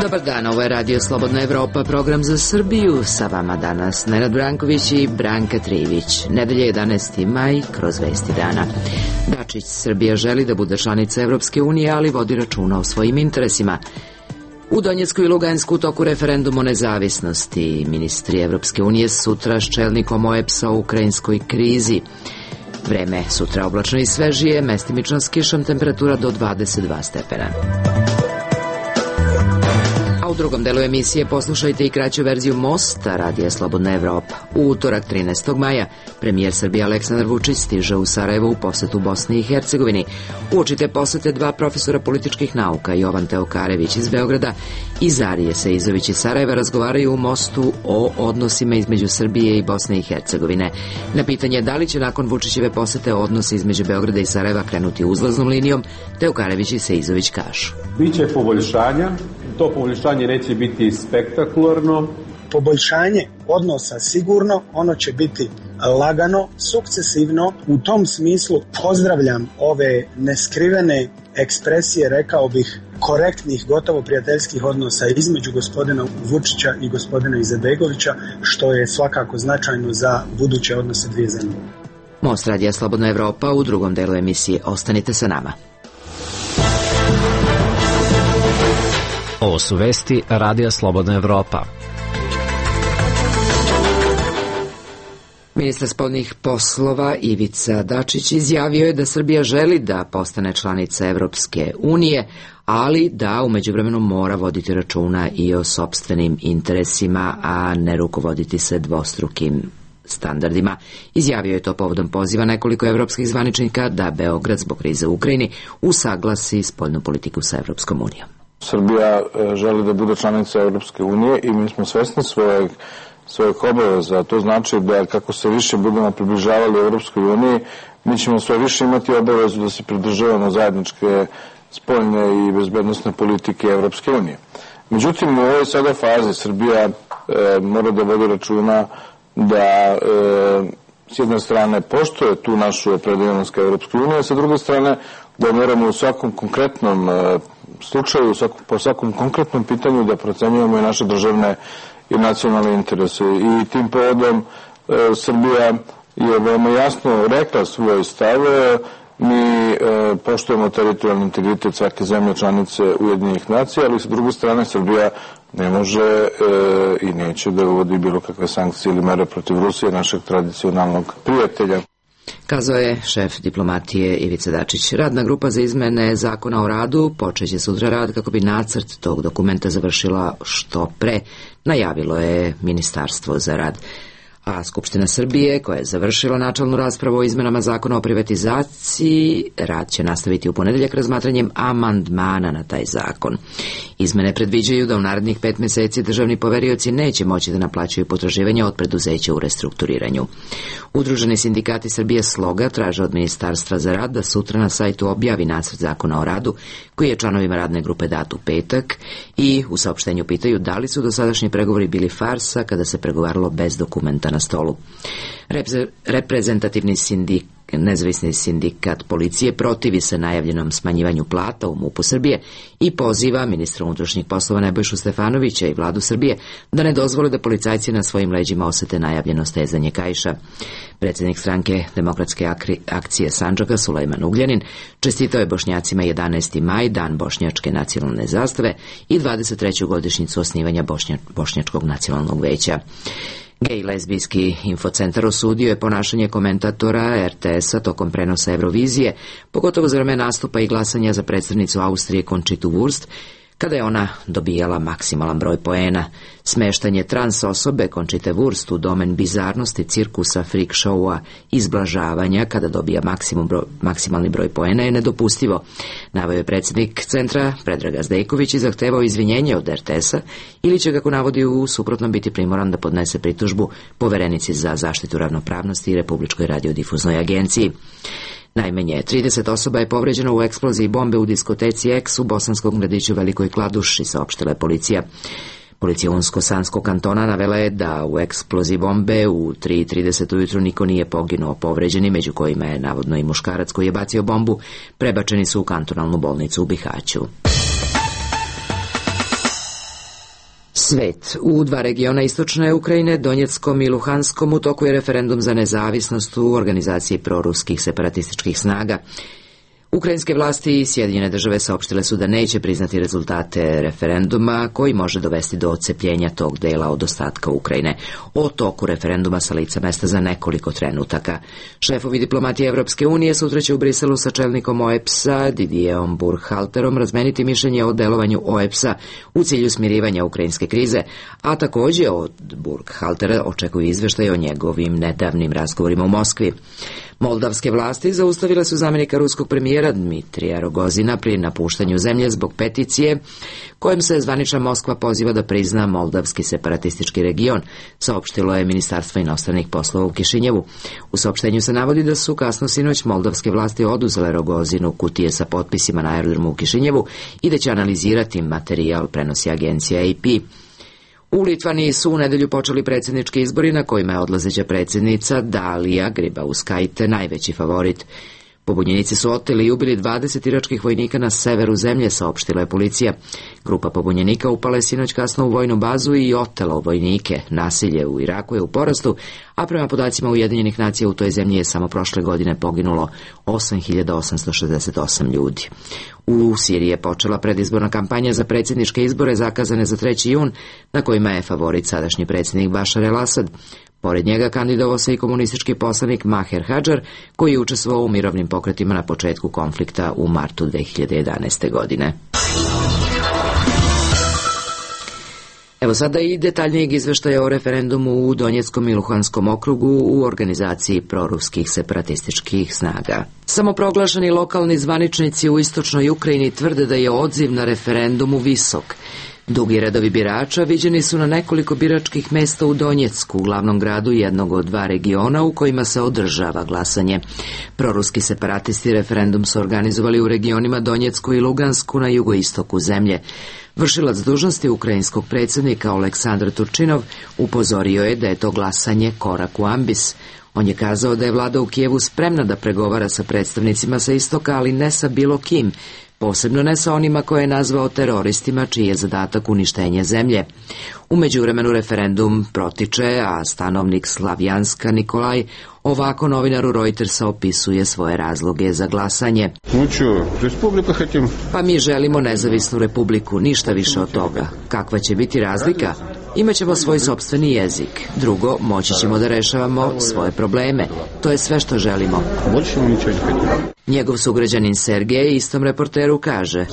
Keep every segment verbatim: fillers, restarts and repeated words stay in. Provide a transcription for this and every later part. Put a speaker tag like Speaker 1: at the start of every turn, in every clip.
Speaker 1: Dobar dan, ovo je Radio Slobodna Evropa, program za Srbiju. Sa vama danas Nenad Branković i Branka Trivić. Nedelje jedanaesti maj, kroz vesti dana. Dačić, Srbija želi da bude članica Evropske unije, ali vodi računa o svojim interesima. U Donjecku i Lugansku u toku referendum o nezavisnosti. Ministri Evropske unije sutra s čelnikom O E B S-a o ukrajinskoj krizi. Vreme sutra oblačno i svežije, mestimično s kišom, temperatura do dvadeset dva stepena. A u drugom delu emisije poslušajte i kraću verziju Mosta Radija Slobodna Evropa. U utorak trinaestog maja premijer Srbije Aleksandar Vučić stiže u Sarajevo u posetu Bosni i Hercegovini. Uočite posete dva profesora političkih nauka, Jovan Teokarević iz Beograda i Zarije Seizović iz Sarajeva, razgovaraju u Mostu o odnosima između Srbije i Bosne i Hercegovine. Na pitanje da li će nakon Vučićeve posete odnosi između Beograda i Sarajeva krenuti uzlaznom linijom, Teokarević i Seizović kažu:
Speaker 2: Biće poboljšanja. To poboljšanje neće biti spektakularno.
Speaker 3: Poboljšanje odnosa sigurno, ono će biti lagano, sukcesivno. U tom smislu pozdravljam ove neskrivene ekspresije, rekao bih, korektnih, gotovo prijateljskih odnosa između gospodina Vučića i gospodina Izetbegovića, što je svakako značajno za buduće odnose dvije zemlje.
Speaker 1: Most Radija Slobodna Evropa u drugom delu emisije. Ostanite sa nama.
Speaker 4: Ovo su vesti Radija Slobodna Evropa.
Speaker 1: Ministar spoljnih poslova Ivica Dačić izjavio je da Srbija želi da postane članica Evropske unije, ali da u međuvremenu mora voditi računa i o sopstvenim interesima, a ne rukovoditi se dvostrukim standardima. Izjavio je to povodom poziva nekoliko evropskih zvaničnika da Beograd zbog krize u Ukrajini usaglasi spoljnu politiku sa Evropskom unijom.
Speaker 5: Srbija želi da bude članica Evropske unije i mi smo svesni svojeg, svojeg obaveza. To znači da kako se više budemo približavali Evropskoj uniji, mi ćemo sve više imati obavezu da se pridržavamo zajedničke spoljne i bezbednosne politike Evropske unije. Međutim, u ovoj sada fazi Srbija e, mora da vodi računa da e, s jedne strane poštuje tu našu opredeljenost ka Evropskoj uniji, a sa druge strane da moramo u svakom konkretnom e, slučaju, po svakom konkretnom pitanju da procenjujemo i naše državne i nacionalne interese. I tim povodom e, Srbija je veoma jasno rekla svoj stav. Mi e, poštujemo teritorijalni integritet svake zemlje članice Ujedinjenih nacija, ali sa druge strane Srbija ne može e, i neće da uvodi bilo kakve sankcije ili mere protiv Rusije, našeg tradicionalnog prijatelja.
Speaker 1: Kazao je šef diplomatije Ivica Dačić. Radna grupa za izmene zakona o radu počeće sutra rad kako bi nacrt tog dokumenta završila što pre, najavilo je Ministarstvo za rad. A Skupština Srbije, koja je završila načelnu raspravu o izmenama zakona o privatizaciji, rad će nastaviti u ponedeljak razmatranjem amandmana na taj zakon. Izmene predviđaju da u narednih pet meseci državni poverioci neće moći da naplaćuju potraživanja od preduzeća u restrukturiranju. Udruženi sindikati Srbije Sloga traže od Ministarstva za rad da sutra na sajtu objavi nacrt zakona o radu, koji je članovima radne grupe dat u petak, i u saopštenju pitaju da li su dosadašnji pregovori bili farsa kada se pregovaralo bez dokumenta na stolu. Repre- reprezentativni sindik, nezavisni sindikat policije protivi se najavljenom smanjivanju plata u MUP-u Srbije i poziva ministra unutrašnjih poslova Nebojšu Stefanovića i vladu Srbije da ne dozvole da policajci na svojim leđima osete najavljeno stezanje kaiša. Predsjednik stranke Demokratske akcije Sandžaka Sulejman Ugljanin čestitao je Bošnjacima jedanaesti maj, dan bošnjačke nacionalne zastave i dvadeset treću godišnjicu osnivanja Bošnja, Bošnjačkog nacionalnog veća. Gej lezbijski infocentar osudio je ponašanje komentatora er te es-a tokom prenosa Eurovizije, pogotovo za vreme nastupa i glasanja za predstavnicu Austrije Conchitu Wurst, kada je ona dobijala maksimalan broj poena. Smeštanje trans osobe Conchite Wurst u domen bizarnosti, cirkusa, freak showa, izblažavanja kada dobija maksimum broj, maksimalni broj poena je nedopustivo. Naveo je predsjednik centra Predraga Zdejković i zahtevao izvinjenje od er te es-a ili će, kako navodi, u suprotnom biti primoran da podnese pritužbu Poverenici za zaštitu ravnopravnosti i Republičkoj radiodifuznoj agenciji. Najmanje trideset osoba je povređeno u eksploziji bombe u diskoteci X u bosanskom gradiću Velikoj Kladuši, saopštila je policija. Policija Unsko-Sanskog kantona navela je da u eksploziji bombe u tri i trideset ujutru niko nije poginuo. Povređeni, među kojima je navodno i muškarac koji je bacio bombu, prebačeni su u kantonalnu bolnicu u Bihaću. Svet. U dva regiona istočne Ukrajine, Donjeckom i Luhanskom, u toku je referendum za nezavisnost u organizaciji proruskih separatističkih snaga. Ukrajinske vlasti i Sjedinjene države saopštile su da neće priznati rezultate referenduma koji može dovesti do odcepljenja tog dela od ostatka Ukrajine. O toku referenduma sa lica mesta za nekoliko trenutaka. Šefovi diplomatije Evropske unije sutra će u Briselu sa čelnikom O E B S-a Didierom Burkhalterom razmeniti mišljenje o delovanju O E B S-a u cilju smirivanja ukrajinske krize, a također od Burkhaltera očekuju izveštaj o njegovim nedavnim razgovorima u Moskvi. Moldavske vlasti zaustavile su zamjenika ruskog premijera Dmitrija Rogozina pri napuštanju zemlje zbog peticije kojom se zvanična Moskva poziva da prizna moldavski separatistički region, saopštilo je Ministarstvo inostranih poslova u Kišinjevu. U saopštenju se navodi da su kasno sinoć moldavske vlasti oduzele Rogozinu kutije sa potpisima na aerodromu u Kišinjevu i da će analizirati materijal, prenosi agencija A P. U Litvaniji su u nedelju počeli predsjednički izbori na kojima je odlazeća predsjednica Dalija Grybauskaitė najveći favorit. Pobunjenici su oteli i ubili dvadeset iračkih vojnika na severu zemlje, saopštila je policija. Grupa pobunjenika upala je sinoć kasno u vojnu bazu i otela vojnike. Nasilje u Iraku je u porastu, a prema podacima Ujedinjenih nacija u toj zemlji je samo prošle godine poginulo osam hiljada osamsto šezdeset osam ljudi. U Siriji je počela predizborna kampanja za predsjedničke izbore zakazane za treći jun, na kojima je favorit sadašnji predsjednik Bašar el-Asad. Pored njega kandidovao se i komunistički poslanik Maher Hadžar, koji je učestvovao u mirovnim pokretima na početku konflikta u martu dve hiljade jedanaeste. godine. Evo sada i detaljnijeg izveštaja o referendumu u Donjeckom i Luhanskom okrugu u organizaciji proruskih separatističkih snaga. Samoproglašeni lokalni zvaničnici u istočnoj Ukrajini tvrde da je odziv na referendumu visok. Dugi redovi birača viđeni su na nekoliko biračkih mesta u Donjecku, glavnom gradu jednog od dva regiona u kojima se održava glasanje. Proruski separatisti referendum su organizovali u regionima Donjecku i Lugansku na jugoistoku zemlje. Vršilac dužnosti ukrajinskog predsjednika Oleksandr Turčinov upozorio je da je to glasanje korak u ambis. On je kazao da je vlada u Kijevu spremna da pregovara sa predstavnicima sa istoka, ali ne sa bilo kim, posebno ne sa onima koje je nazvao teroristima, čiji je zadatak uništenje zemlje. U međuvremenu referendum protiče, a stanovnik Slavjanska Nikolaj ovako novinaru Reutersa opisuje svoje razloge za glasanje. Pa mi želimo nezavisnu republiku, ništa više od toga. Kakva će biti razlika? Imaćemo svoj sopstveni jezik. Drugo, moći ćemo da rešavamo svoje probleme. To je sve što želimo. Njegov sugrađanin Sergej istom reporteru kaže: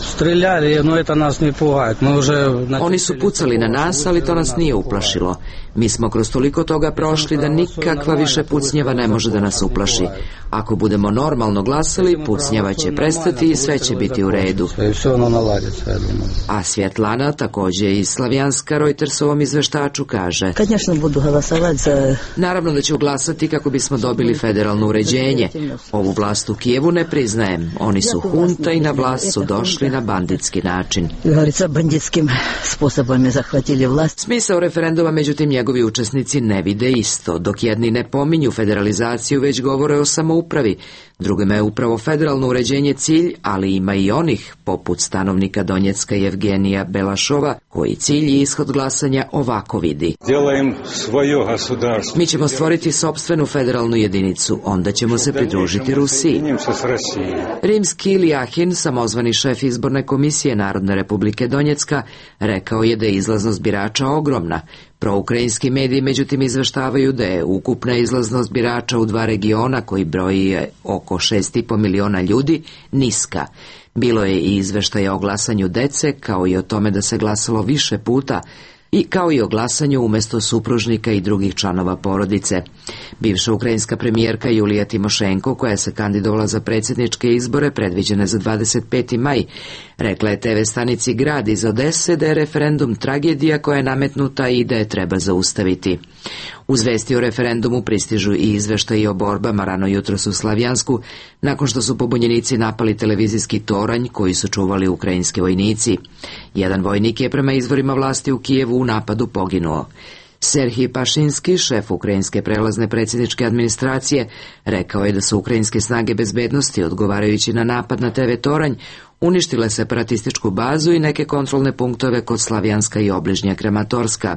Speaker 1: Oni su pucali na nas, ali to nas nije uplašilo. Mi smo kroz toliko toga prošli da nikakva više pucnjeva ne može da nas uplaši. Ako budemo normalno glasali, pucnjeva će prestati i sve će biti u redu. A Svjetlana, također iz Slavjanska, Reutersovom izveštaču kaže: Naravno da ću glasati kako bismo dobili federalno uređenje. Ovu vlast u Kijevu ne priznajem. Oni su hunta i na vlast su došli na banditski način. Smisao referenduma, međutim, njegovi učesnici ne vide isto. Dok jedni ne pominju federalizaciju, već govore o samoupravi. Drugima je upravo federalno uređenje cilj, ali ima i onih, poput stanovnika Donjecka Evgenija Belašova, koji cilj i ishod glasanja ovako vidi. Mi ćemo stvoriti sopstvenu federalnu jedinicu, onda ćemo se pridružiti Rusiji. Rimski Iljahin, samozvani šef izborne komisije Narodne republike Donjecka, rekao je da je izlaznost birača ogromna. Proukrajinski mediji međutim izveštavaju da je ukupna izlaznost birača u dva regiona koji broji oko šest i po miliona ljudi niska. Bilo je i izveštaja o glasanju dece, kao i o tome da se glasalo više puta, i kao i o glasanju umjesto supružnika i drugih članova porodice. Bivša ukrajinska premijerka Julija Timošenko, koja se kandidovala za predsjedničke izbore predviđene za dvadeset peti maj, rekla je te ve stanici Grad iz Odese da je referendum tragedija koja je nametnuta i da je treba zaustaviti. Uz vesti o referendumu pristižu i izveštaji o borbama rano jutros u Slavjansku, nakon što su pobunjenici napali televizijski toranj koji su čuvali ukrajinski vojnici. Jedan vojnik je prema izvorima vlasti u Kijevu u napadu poginuo. Serhij Pašinski, šef ukrajinske prelazne predsjedničke administracije, rekao je da su ukrajinske snage bezbednosti, odgovarajući na napad na te ve toranj, uništile separatističku bazu i neke kontrolne punktove kod Slavjanska i obližnja Krematorska.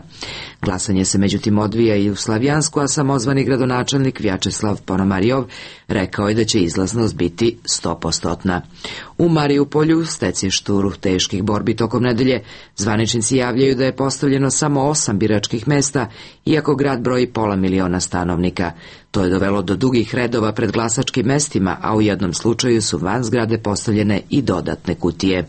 Speaker 1: Glasanje se međutim odvija i u Slavjansku, a samozvani gradonačelnik Vjačeslav Ponomarjov rekao je da će izlaznost biti sto posto. U Marijupolju, stecištu teških borbi tokom nedelje, zvaničnici javljaju da je postavljeno samo osam biračkih mesta, iako grad broji pola miliona stanovnika. To je dovelo do dugih redova pred glasačkim mestima, a u jednom slučaju su van zgrade postavljene i dodatne kutije.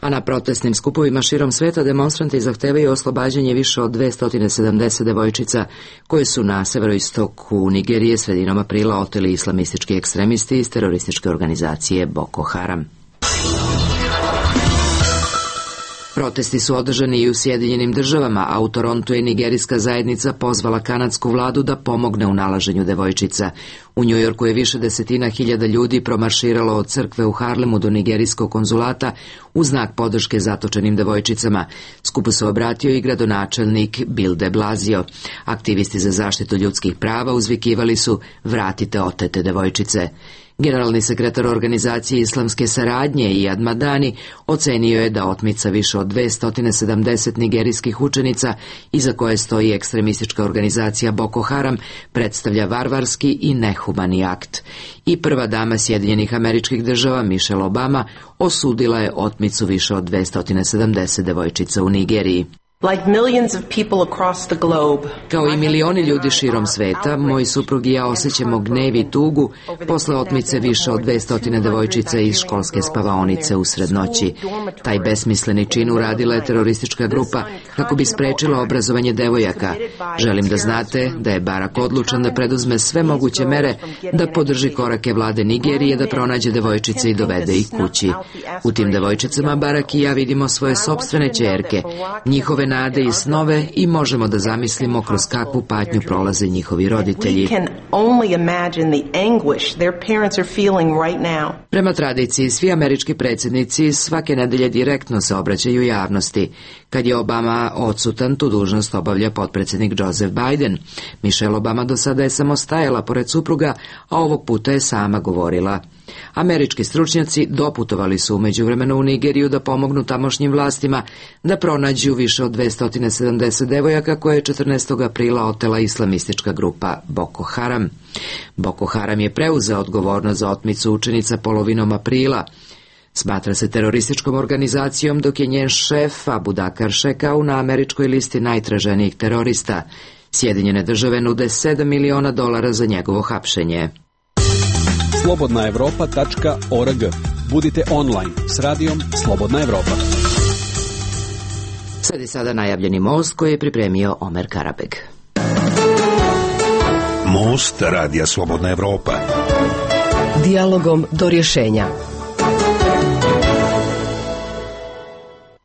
Speaker 1: A na protestnim skupovima širom sveta demonstranti zahtevaju oslobađanje više od dvesta sedamdeset devojčica koje su na severoistoku Nigerije sredinom aprila oteli islamistički ekstremisti iz terorističke organizacije Boko Haram. Protesti su održani i u Sjedinjenim državama, a u Torontu je nigerijska zajednica pozvala kanadsku vladu da pomogne u nalaženju devojčica. U Njujorku je više desetina hiljada ljudi promarširalo od crkve u Harlemu do nigerijskog konzulata u znak podrške zatočenim devojčicama. Skupu se obratio i gradonačelnik Bill de Blasio. Aktivisti za zaštitu ljudskih prava uzvikivali su "Vratite otete devojčice". Generalni sekretar organizacije islamske saradnje Iyad Madani ocenio je da otmica više od dvesta sedamdeset nigerijskih učenica, iza koje stoji ekstremistička organizacija Boko Haram, predstavlja varvarski i nehumani akt. I prva dama Sjedinjenih Američkih Država Michelle Obama osudila je otmicu više od dvesta sedamdeset devojčica u Nigeriji. Kao i milioni ljudi širom sveta, moj suprug i ja osjećamo gnev i tugu posle otmice više od dvesta devojčica iz školske spavaonice usred noći. Taj besmisleni čin uradila je teroristička grupa kako bi sprečila obrazovanje devojaka. Želim da znate da je Barak odlučan da preduzme sve moguće mere da podrži korake vlade Nigerije da pronađe devojčice i dovede ih kući. U tim devojčicama Barak i ja vidimo svoje sopstvene ćerke, njihove nade i snove i možemo da zamislimo kroz kakvu patnju prolaze njihovi roditelji. Prema tradiciji, svi američki predsjednici svake nedelje direktno se obraćaju javnosti. Kad je Obama odsutan, tu dužnost obavlja potpredsjednik Joseph Biden. Michelle Obama do sada je samo stajala pored supruga, a ovog puta je sama govorila. Američki stručnjaci doputovali su u međuvremenu u Nigeriju da pomognu tamošnjim vlastima da pronađu više od dvesta sedamdeset devojaka koje je četrnaestog aprila otela islamistička grupa Boko Haram. Boko Haram je preuzeo odgovornost za otmicu učenica polovinom aprila. Smatra se terorističkom organizacijom, dok je njen šef Abu Bakr Shekau na američkoj listi najtraženijih terorista. Sjedinjene države nude sedam miliona dolara za njegovo hapšenje.
Speaker 6: slobodna evropa tačka org. Budite online s radijom Slobodna Evropa.
Speaker 1: Sledi sada najavljeni most koji je pripremio Omer Karabeg.
Speaker 7: Most radija Slobodna Evropa.
Speaker 8: Dijalogom do rješenja.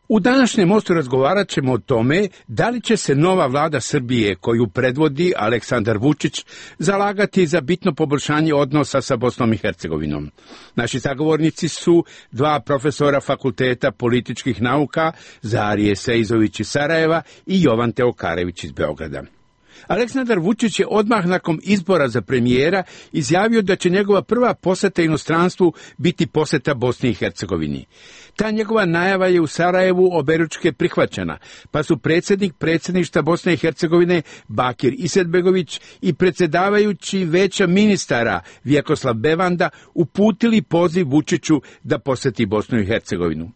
Speaker 9: U današnjem mostu razgovarat ćemo o tome da li će se nova vlada Srbije, koju predvodi Aleksandar Vučić, zalagati za bitno poboljšanje odnosa sa Bosnom i Hercegovinom. Naši sagovornici su dva profesora Fakulteta političkih nauka, Zarije Sejzović iz Sarajeva i Jovan Teokarević iz Beograda. Aleksandar Vučić je odmah nakon izbora za premijera izjavio da će njegova prva poseta inostranstvu biti poseta Bosni i Hercegovini. Ta njegova najava je u Sarajevu oberučke prihvaćena, pa su predsjednik predsjedništva Bosne i Hercegovine Bakir Izetbegović i predsjedavajući Veća ministara Vjekoslav Bevanda uputili poziv Vučiću da poseti Bosnu i Hercegovinu.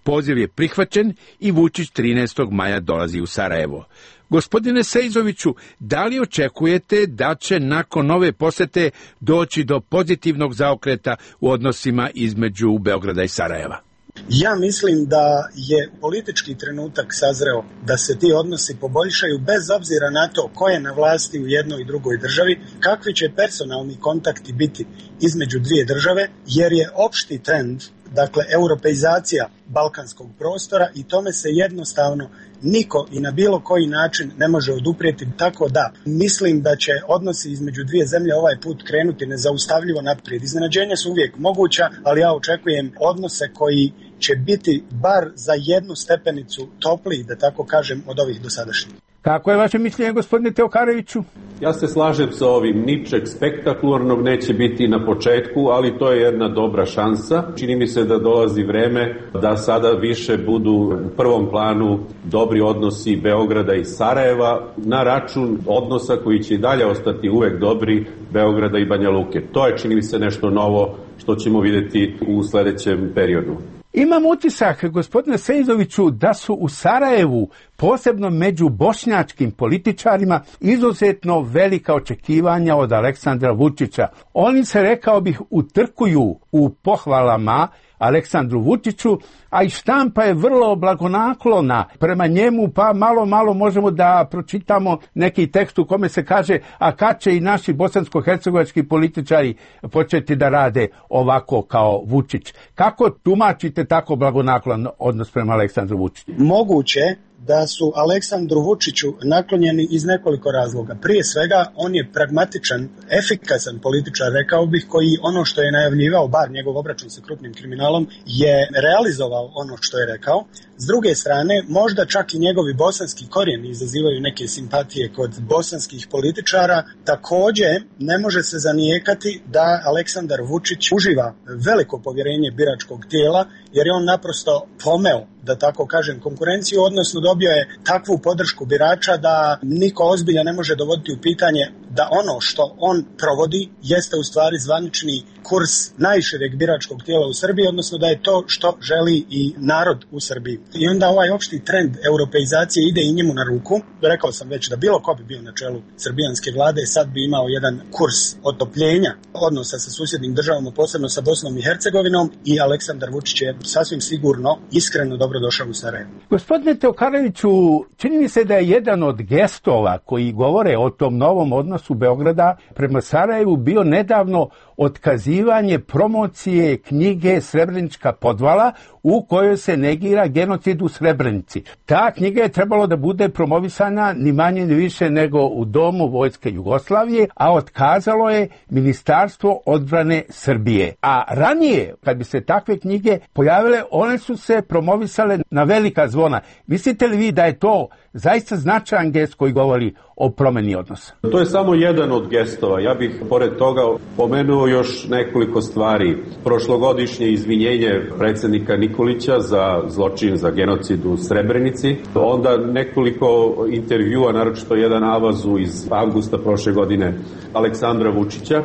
Speaker 9: Poziv je prihvaćen i Vučić trinaestog maja dolazi u Sarajevo. Gospodine Sejzoviću, da li očekujete da će nakon ove posete doći do pozitivnog zaokreta u odnosima između Beograda i Sarajeva?
Speaker 3: Ja mislim da je politički trenutak sazreo da se ti odnosi poboljšaju bez obzira na to ko je na vlasti u jednoj i drugoj državi, kakvi će personalni kontakti biti između dvije države, jer je opšti trend, dakle, europeizacija balkanskog prostora i tome se jednostavno niko i na bilo koji način ne može oduprijeti, tako da mislim da će odnosi između dvije zemlje ovaj put krenuti nezaustavljivo naprijed. Iznenađenja su uvijek moguća, ali ja očekujem odnose koji će biti bar za jednu stepenicu topliji, da tako kažem, od ovih dosadašnjih.
Speaker 9: Kako je vaše mišljenje, gospodine Teokareviću?
Speaker 2: Ja se slažem sa ovim, ničeg spektakularnog neće biti na početku, ali to je jedna dobra šansa. Čini mi se da dolazi vreme da sada više budu u prvom planu dobri odnosi Beograda i Sarajeva na račun odnosa koji će i dalje ostati uvek dobri Beograda i Banja Luke. To je, čini mi se, nešto novo što ćemo videti u sledećem periodu.
Speaker 9: Imam utisak, gospodine Sejzoviću, da su u Sarajevu, posebno među bošnjačkim političarima, izuzetno velika očekivanja od Aleksandra Vučića. Oni se, rekao bih, utrkuju u pohvalama Aleksandru Vučiću, a i štampa je vrlo blagonaklona prema njemu, pa malo, malo možemo da pročitamo neki tekst u kome se kaže, a kad će i naši bosansko-hercegovački političari početi da rade ovako kao Vučić. Kako tumačite tako blagonaklon odnos prema Aleksandru Vučiću?
Speaker 3: Moguće da su Aleksandru Vučiću naklonjeni iz nekoliko razloga. Prije svega, on je pragmatičan, efikasan političar, rekao bih, koji ono što je najavljivao, bar njegov obračun sa krupnim kriminalom, je realizovao ono što je rekao. S druge strane, možda čak i njegovi bosanski korijeni izazivaju neke simpatije kod bosanskih političara. Također, ne može se zanijekati da Aleksandar Vučić uživa veliko povjerenje biračkog tijela, jer je on naprosto pomeo, da tako kažem, konkurenciju, odnosno dobio je takvu podršku birača da niko ozbilja ne može dovoditi u pitanje da ono što on provodi jeste u stvari zvanični kurs najšireg biračkog tijela u Srbiji, odnosno da je to što želi i narod u Srbiji. I onda ovaj opšti trend europeizacije ide i njemu na ruku. Rekao sam već da bilo ko bi bio na čelu srbijanske vlade, sad bi imao jedan kurs otopljenja odnosa sa susjednim državama, posebno sa Bosnom i Hercegovinom, i Aleksandar Vučić je sasvim sigurno iskreno dobro došao u Sarajevo.
Speaker 9: Gospodine Teokareviću, čini mi se da je jedan od gestova koji govore o tom novom odnosu Beograda prema Sarajevu bio nedavno otkazivanje promocije knjige Srebrenička podvala u kojoj se negira genocid u Srebrenici. Ta knjiga je trebalo da bude promovisana ni manje ni više nego u Domu Vojske Jugoslavije, a otkazalo je Ministarstvo odbrane Srbije. A ranije, kad bi se takve knjige pojavile, one su se promovisale na velika zvona. Mislite li vi da je to zaista značajan gest koji govori o promeni odnosa?
Speaker 2: To je samo jedan od gestova. Ja bih pored toga pomenuo još nekoliko stvari. Prošlogodišnje izvinjenje predsjednika Nikolića za zločin, za genocid u Srebrenici. Onda nekoliko intervjua, naročito jedan avazu iz avgusta prošle godine Aleksandra Vučića,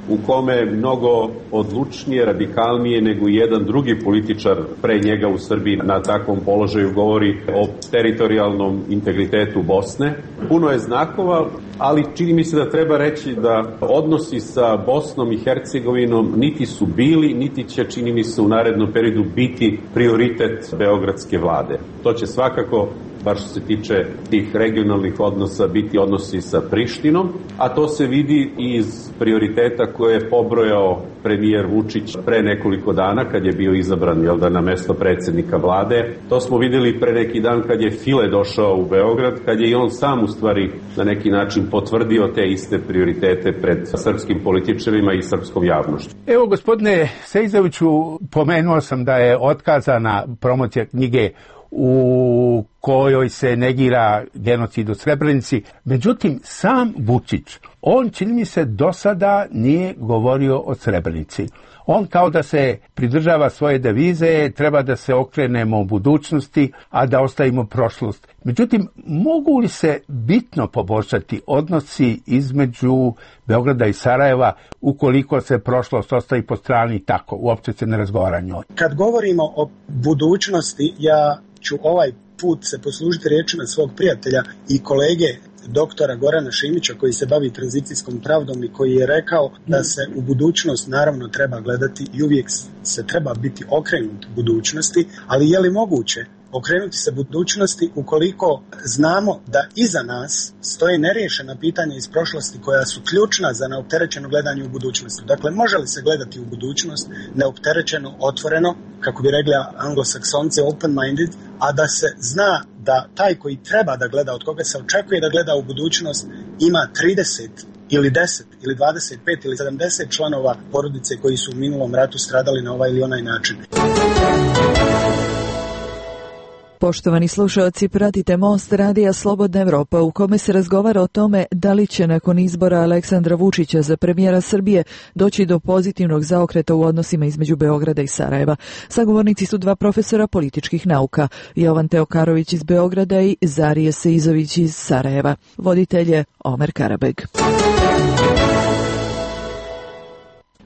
Speaker 2: u kome mnogo odlučnije, radikalnije nego jedan drugi političar pre njega u Srbiji na takvom položaju govori o teritorijalnom integritetu Bosne. Puno je znakova, ali čini mi se da treba reći da odnosi sa Bosnom i Hercegovinom niti su bili, niti će, čini mi se, u narednom periodu biti prioritet beogradske vlade. To će svakako, bar što se tiče tih regionalnih odnosa, biti odnosi sa Prištinom, a to se vidi iz prioriteta koje je pobrojao premijer Vučić pre nekoliko dana kad je bio izabran, jel da, na mesto predsjednika vlade. To smo videli pre neki dan kad je File došao u Beograd, kad je i on sam u stvari na neki način potvrdio te iste prioritete pred srpskim političarima i srpskom javnošću.
Speaker 9: Evo, gospodine Sejzoviću, pomenuo sam da je otkazana promocija knjige u kojoj se negira genocid u Srebrenici. Međutim, sam Vučić, on, čini mi se, do sada nije govorio o Srebrenici. On kao da se pridržava svoje devize, treba da se okrenemo u budućnosti, a da ostavimo prošlost. Međutim, mogu li se bitno poboljšati odnosi između Beograda i Sarajeva ukoliko se prošlost ostavi po strani tako, uopće se ne razgovara njoj?
Speaker 3: Kad govorimo o budućnosti, ja ću ovaj put se poslužiti riječima svog prijatelja i kolege doktora Gorana Šimića, koji se bavi tranzicijskom pravdom i koji je rekao da se u budućnost naravno treba gledati i uvijek se treba biti okrenut budućnosti, ali je li moguće okrenuti se budućnosti ukoliko znamo da iza nas stoje neriješena pitanja iz prošlosti koja su ključna za neopterećeno gledanje u budućnosti. Dakle, može li se gledati u budućnost neopterećeno, otvoreno, kako bi rekli anglosaksonci, open-minded, a da se zna da taj koji treba da gleda, od koga se očekuje da gleda u budućnost, ima trideset ili deset ili dvadeset pet ili sedamdeset članova porodice koji su u minulom ratu stradali na ovaj ili onaj način.
Speaker 10: Poštovani slušalci, pratite Most radija Slobodna Evropa u kome se razgovara o tome da li će nakon izbora Aleksandra Vučića za premijera Srbije doći do pozitivnog zaokreta u odnosima između Beograda i Sarajeva. Sagovornici su dva profesora političkih nauka, Jovan Teokarović iz Beograda i Zarije Seizović iz Sarajeva. Voditelj je Omer Karabeg.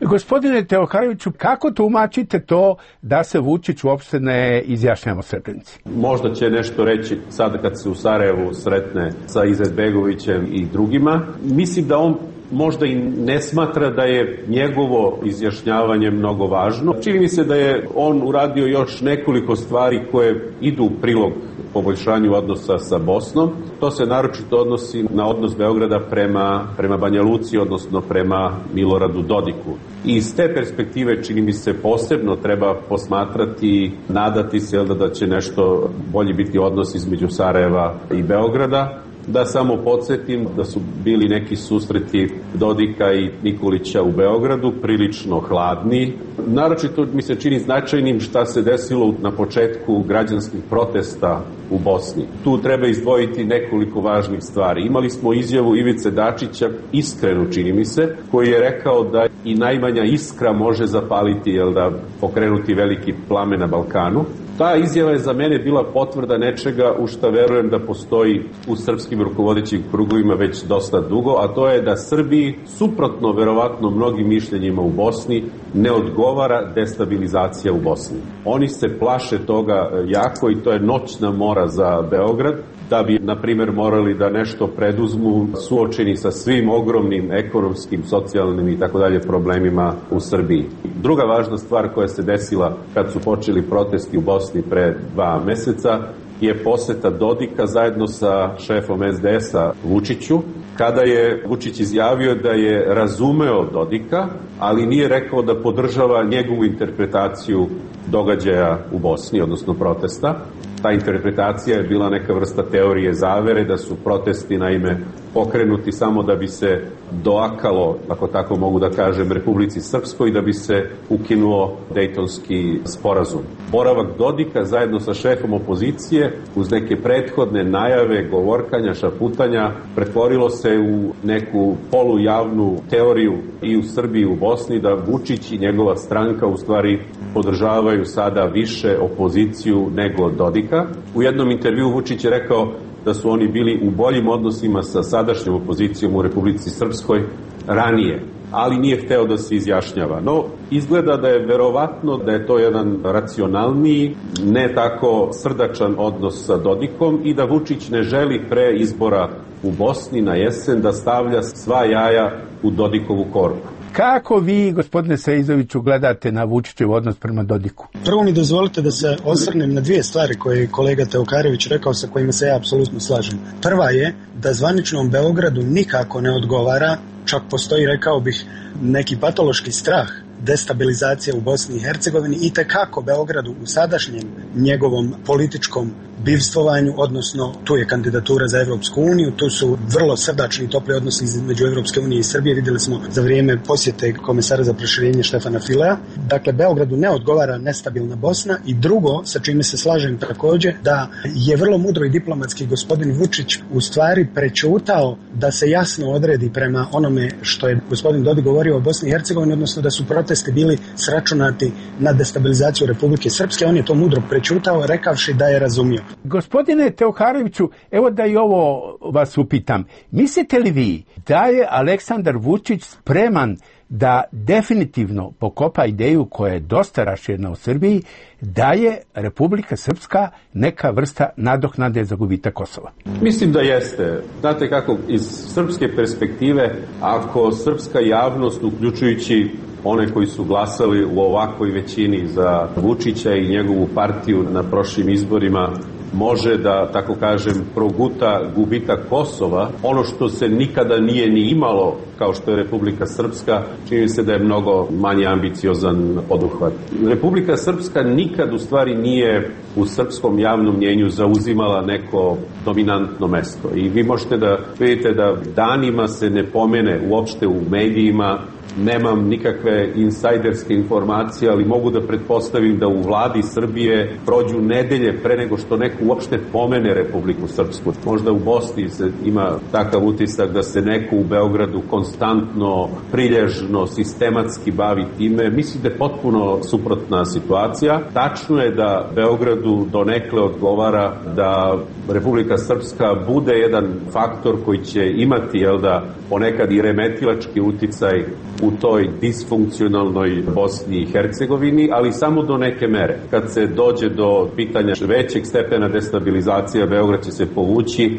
Speaker 9: Gospodine Teokaroviću, kako tumačite to da se Vučić uopšte ne izjašnjava o Srebrenici?
Speaker 2: Možda će nešto reći sada kad se u Sarajevu sretne sa Izetbegovićem i drugima. Mislim da on možda i ne smatra da je njegovo izjašnjavanje mnogo važno. Čini mi se da je on uradio još nekoliko stvari koje idu u prilog poboljšanju odnosa sa Bosnom. To se naročito odnosi na odnos Beograda prema, prema Banja Luci, odnosno prema Miloradu Dodiku. I iz te perspektive čini mi se posebno treba posmatrati, nadati se da, da će nešto bolji biti odnos između Sarajeva i Beograda. Da samo podsjetim da su bili neki susreti Dodika i Nikolića u Beogradu, prilično hladni. Naročito mi se čini značajnim šta se desilo na početku građanskih protesta u Bosni. Tu treba izdvojiti nekoliko važnih stvari. Imali smo izjavu Ivice Dačića, iskrenu čini mi se, koji je rekao da i najmanja iskra može zapaliti, jel da, pokrenuti veliki plamen na Balkanu. Ta izjava je za mene bila potvrda nečega u šta verujem da postoji u srpskim rukovodećim krugovima već dosta dugo, a to je da Srbiji, suprotno verovatno mnogim mišljenjima u Bosni, ne odgovara destabilizacija u Bosni. Oni se plaše toga jako i to je noćna mora za Beograd, da bi, na primjer, morali da nešto preduzmu suočeni sa svim ogromnim ekonomskim, socijalnim i tako dalje problemima u Srbiji. Druga važna stvar koja se desila kad su počeli protesti u Bosni pre dva meseca je poseta Dodika zajedno sa šefom es de es-a Vučiću, kada je Vučić izjavio da je razumeo Dodika, ali nije rekao da podržava njegovu interpretaciju događaja u Bosni, odnosno protesta. Ta interpretacija je bila neka vrsta teorije zavere, da su protesti naime pokrenuti samo da bi se doakalo, ako tako mogu da kažem, Republici Srpskoj, da bi se ukinuo Dejtonski sporazum. Boravak Dodika zajedno sa šefom opozicije uz neke prethodne najave, govorkanja, šaputanja pretvorilo se u neku polujavnu teoriju i u Srbiji i u Bosni da Vučić i njegova stranka u stvari podržavaju sada više opoziciju nego Dodika. U jednom intervjuu Vučić je rekao da su oni bili u boljim odnosima sa sadašnjom opozicijom u Republici Srpskoj ranije, ali nije hteo da se izjašnjava. No, izgleda da je verovatno da je to jedan racionalniji, ne tako srdačan odnos sa Dodikom i da Vučić ne želi pre izbora u Bosni na jesen da stavlja sva jaja u Dodikovu korpu.
Speaker 9: Kako vi, gospodine Seizoviću, gledate na Vučićev odnos prema Dodiku?
Speaker 3: Prvo mi dozvolite da se osvrnem na dvije stvari koje je kolega Teokarović rekao, sa kojima se ja apsolutno slažem. Prva je da zvaničnom Beogradu nikako ne odgovara, čak postoji, rekao bih, neki patološki strah destabilizacija u Bosni i Hercegovini i tekako Beogradu u sadašnjem njegovom političkom bivstvovanju, odnosno tu je kandidatura za Evropsku uniju, tu su vrlo srdačni i topli odnosi između Evropske unije i Srbije, vidjeli smo za vrijeme posjete komesara za proširenje Štefana Filea. Dakle, Beogradu ne odgovara nestabilna Bosna i drugo, sa čime se slažem također, da je vrlo mudro i diplomatski gospodin Vučić u stvari prećutao da se jasno odredi prema onome što je gospodin Dodik govorio o Bosni i Hercegovini, odnosno da su protesti bili sračunati na destabilizaciju Republike Srpske. On je to mudro prećutao, rekavši da je razumio.
Speaker 9: Gospodine Teokaroviću, evo da i ovo vas upitam. Mislite li vi da je Aleksandar Vučić spreman da definitivno pokopa ideju koja je dosta raširena u Srbiji, da je Republika Srpska neka vrsta nadoknade za gubitak Kosova?
Speaker 2: Mislim da jeste. Znate kako, iz srpske perspektive, ako srpska javnost, uključujući one koji su glasali u ovakvoj većini za Vučića i njegovu partiju na prošlim izborima, može da, tako kažem, proguta gubitak Kosova, ono što se nikada nije ni imalo, kao što je Republika Srpska, čini se da je mnogo manje ambiciozan poduhvat. Republika Srpska nikad u stvari nije u srpskom javnom mnjenju zauzimala neko dominantno mesto. I vi možete da vidite da danima se ne pomene uopšte u medijima. Nemam nikakve insajderske informacije, ali mogu da pretpostavim da u vladi Srbije prođu nedelje pre nego što neko uopšte pomene Republiku Srpsku. Možda u Bosni se ima takav utisak da se neko u Beogradu konstantno, prilježno, sistematski bavi time. Mislim da je potpuno suprotna situacija. Tačno je da Beogradu donekle odgovara da Republika Srpska bude jedan faktor koji će imati, jel da, ponekad i remetilački uticaj u toj disfunkcionalnoj Bosni i Hercegovini, ali samo do neke mere. Kad se dođe do pitanja većeg stepena destabilizacije, Beograd će se povući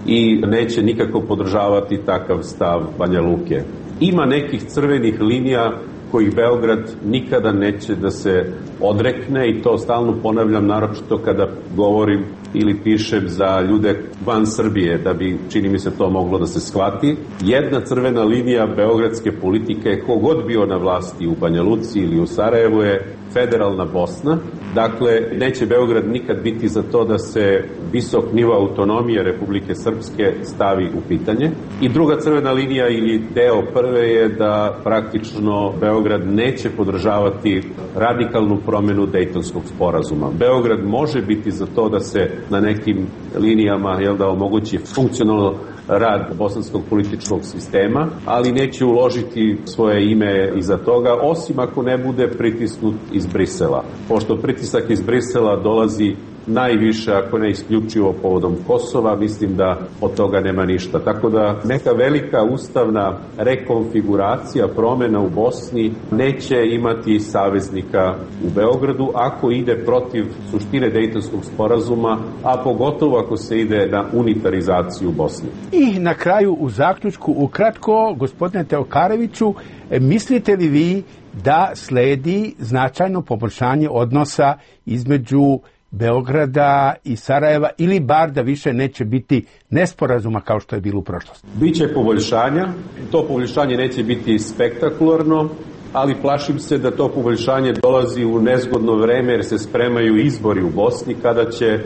Speaker 2: i neće nikako podržavati takav stav Banja Luke. Ima nekih crvenih linija kojih Beograd nikada neće da se odrekne i to stalno ponavljam, naročito kada govorim ili pišem za ljude van Srbije, da bi, čini mi se, to moglo da se shvati. Jedna crvena linija beogradske politike, kogod bio na vlasti u Banja Luci ili u Sarajevu, je federalna Bosna. Dakle, neće Beograd nikad biti za to da se visok nivo autonomije Republike Srpske stavi u pitanje. I druga crvena linija ili deo prve je da praktično Beograd neće podržavati radikalnu promenu Dejtonskog sporazuma. Beograd može biti za to da se na nekim linijama, jel da, omogući funkcionalno rad bosanskog političkog sistema, ali neće uložiti svoje ime iza toga, osim ako ne bude pritisnut iz Brisela. Pošto pritisak iz Brisela dolazi najviše, ako ne isključivo povodom Kosova, mislim da od toga nema ništa. Tako da neka velika ustavna rekonfiguracija, promena u Bosni neće imati saveznika u Beogradu ako ide protiv suštine Dejtonskog sporazuma, a pogotovo ako se ide na unitarizaciju Bosne.
Speaker 9: I na kraju u zaključku, ukratko, gospodine Teokareviću, mislite li vi da sledi značajno poboljšanje odnosa između Beograda i Sarajeva, ili bar da više neće biti nesporazuma kao što je bilo u prošlosti?
Speaker 2: Biće poboljšanja, to poboljšanje neće biti spektakularno, ali plašim se da to poboljšanje dolazi u nezgodno vreme jer se spremaju izbori u Bosni kada će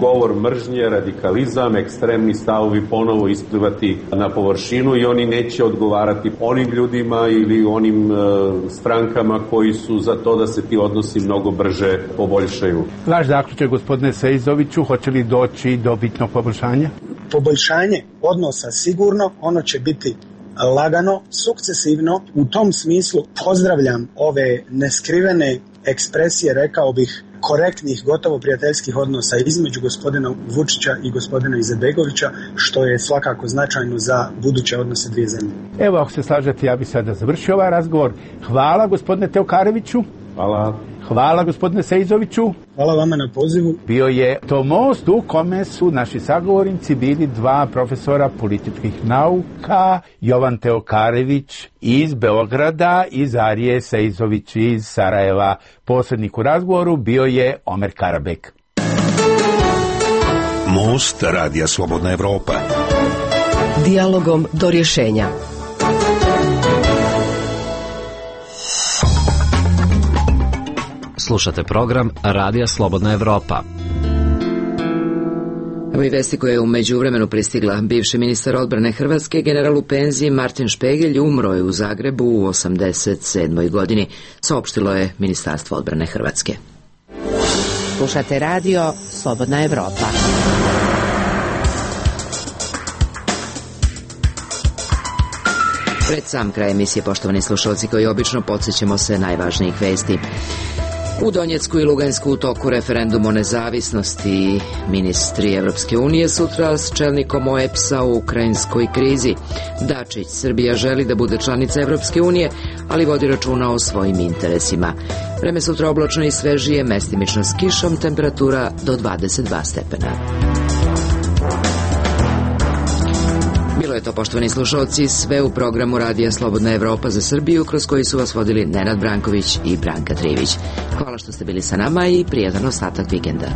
Speaker 2: govor mržnje, radikalizam, ekstremni stavovi ponovo isplivati na površinu i oni neće odgovarati onim ljudima ili onim e, strankama koji su za to da se ti odnosi mnogo brže poboljšaju.
Speaker 9: Vaš zaključak, gospodine Sejzoviću, hoće li doći do bitnog poboljšanja?
Speaker 3: Poboljšanje odnosa sigurno, ono će biti lagano, sukcesivno. U tom smislu pozdravljam ove neskrivene ekspresije, rekao bih, korektnih, gotovo prijateljskih odnosa između gospodina Vučića i gospodina Izetbegovića, što je svakako značajno za buduće odnose dvije zemlje.
Speaker 9: Evo, ako se slažete, ja bih sada završio ovaj razgovor. Hvala, gospodine Teokareviću.
Speaker 2: Hvala.
Speaker 9: Hvala, gospodine Sejzoviću.
Speaker 3: Hvala vama na pozivu.
Speaker 9: Bio je to most u kome su naši sagovornici bili dva profesora političkih nauka, Jovan Teokarević iz Beograda i Zarije Sejzović iz Sarajeva. Posrednik u razgovoru bio je Omer Karabek.
Speaker 7: Most Radija Slobodna Evropa.
Speaker 8: Dijalogom do rješenja.
Speaker 4: Slušate program Radija Slobodna Evropa.
Speaker 1: Evo i vesti koja je u međuvremenu pristigla. Bivši ministar odbrane Hrvatske, general u penziji Martin Špegelj, umro je u Zagrebu u osamdeset sedmoj godini, saopštilo je Ministarstvo odbrane Hrvatske.
Speaker 11: Slušate radio Slobodna Evropa.
Speaker 1: Pred sam kraj emisije, poštovani slušalci, koji obično podsjećamo se najvažnijih vesti. U Donjecku i Lugansku u toku referendum o nezavisnosti. Ministri Evropske unije sutra s čelnikom O E P S-a u ukrajinskoj krizi. Dačić, Srbija želi da bude članica Evropske unije, ali vodi računa o svojim interesima. Vreme sutra oblačno i svežije, mestimično s kišom, temperatura do dvadeset dva stepena. Bilo je to, poštovani slušalci, sve u programu Radija Slobodna Evropa za Srbiju, kroz koji su vas vodili Nenad Branković i Branka Trivić. Hvala što ste bili sa nama i prijatan ostatak vikenda.